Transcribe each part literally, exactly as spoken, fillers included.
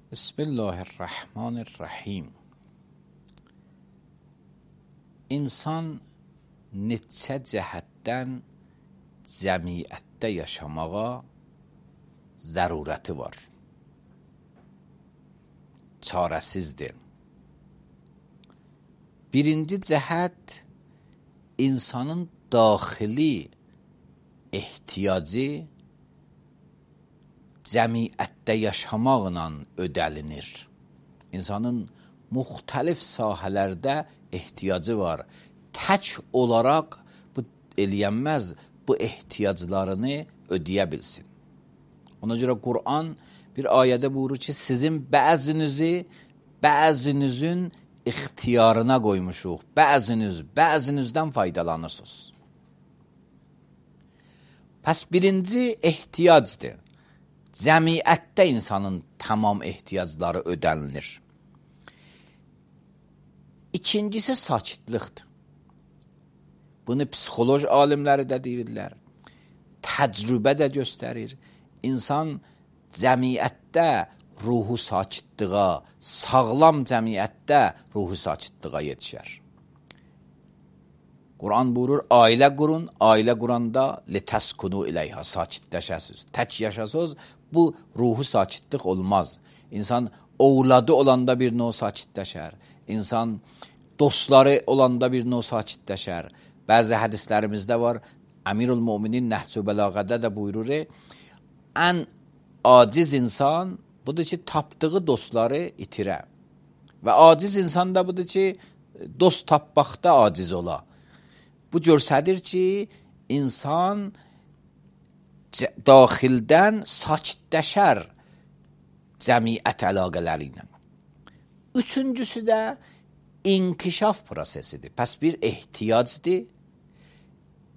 Bismillahirrahmanirrahim. İnsan neçə cəhətdən cəmiyyətdə yaşamağa zərurəti var. Çarəsizdir. Birinci cəhət insanın daxili ehtiyacı cəmiyyətdə yaşamaqla ödəlinir. İnsanın müxtəlif sahələrdə ehtiyacı var. Tək olaraq bu eləyənməz, bu ehtiyaclarını ödəyə bilsin. Ona görə Qur'an bir ayədə buyurur ki, sizin bəzinizi bəzinizin ixtiyarına qoymuşuq. Bəziniz, bəzinizdən faydalanırsınız. Pəs birinci ehtiyacdır. Cəmiyyətdə insanın tamam ehtiyacları ödənilir. İkincisi sakitlikdir. Bunu psixoloji alimləri də deyirlər. Təcrübə də göstərir. İnsan cəmiyyətdə ruhu sakitliğə, sağlam cəmiyyətdə ruhu sakitliğə yetişər. Quran buyurur, ailə qurun, ailə quranda litəskunu iləyhə, sakitləşəsiz. Tək yaşasız, bu ruhu sakitlik olmaz. İnsan ovladı olanda bir növ sakitləşər. İnsan dostları olanda bir növ sakitləşər. Bəzi hədislərimizdə var, Əmirül Müminin Nəhcü Bələğədə də buyurur, ən aciz insan budur ki, tapdığı dostları itirə. Və aciz insan da budur ki, dost tapmaqda aciz ola. Bu görsədir ki, insan daxildən sakitləşər cəmiyyət əlaqələri ilə. Üçüncüsü də inkişaf prosesidir. Pəs bir ehtiyacdır.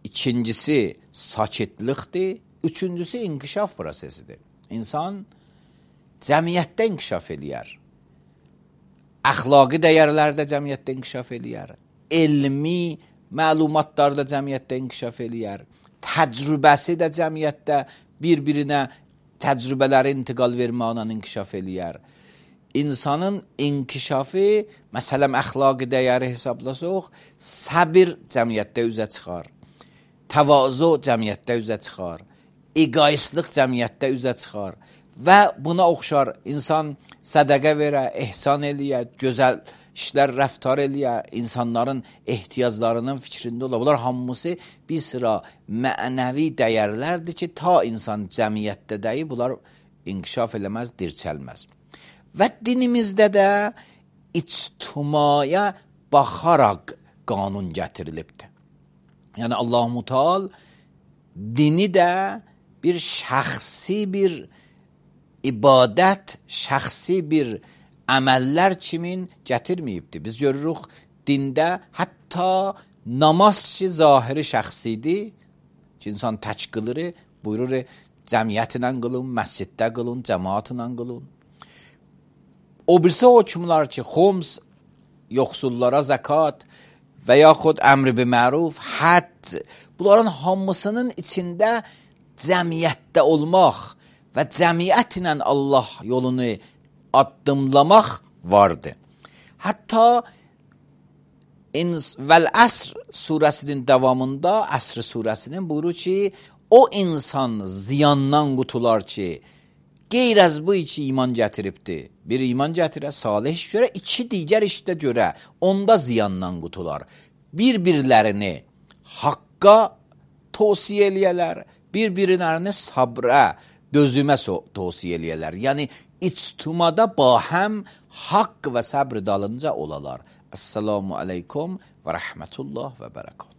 İkincisi sakitlikdir. Üçüncüsü inkişaf prosesidir. İnsan cəmiyyətdə inkişaf eləyər. Əxlaqi dəyərlərdə cəmiyyətdə inkişaf eləyər. Elmi məlumatlarda cəmiyyətdə inkişaf eləyər. Təcrübəsi də cəmiyyətdə bir-birinə təcrübələri intiqal verməklə inkişaf eləyər. İnsanın inkişafı, məsələn, əxlaqi dəyəri hesablasaq, səbir cəmiyyətdə üzə çıxar. Təvazu cəmiyyətdə üzə çıxar. Egoistlik cəmiyyətdə üzə çıxar. Və buna oxşar insan sədəqə verə, ehsan eləyə, gözəl işlər rəftar eləyə, insanların ehtiyaclarının fikrində ola. Bunlar hamısı bir sıra mənəvi dəyərlərdir ki, ta insan cəmiyyətdə deyil, bunlar inkişaf eləməz, dirçəlməz. Və dinimizdə də ictimaya baxaraq qanun gətirilibdir. Yəni Allah-u Teala dini də bir şəxsi bir ibadət, şəxsi bir əməllər kimin gətirməyibdir. Biz görürük, dində hətta namaz ki, zahiri şəxsidir, ki, insan tək qılır, buyurur, cəmiyyətlə qılın, məsciddə qılın, cəmaatla qılın. O birisi hökmlər ki, xums, yoxsullara zəkat və yaxud əmr bi məruf, həcc, bunların hamısının içində cəmiyyətdə olmaq və cəmiyyətlə Allah yolunu addımlamaq vardır. Hətta Vəl-Əsr surəsinin davamında, Əsr surəsinin buyurur ki, o insan ziyandan qutular ki, qeyr-əz bu iki iman gətiribdir. Bir iman gətirə, salih iş görə, iki digər işdə görə, onda ziyandan qutular. Bir-birlərini haqqa tavsiyə eləyələr, bir-birlərini sabrə, dözümə tavsiyə eləyələr. Yəni, ictimada bahəm haqq və səbr dalınca olalar. Esselamu aleykum və rəhmətullah və bərəkət.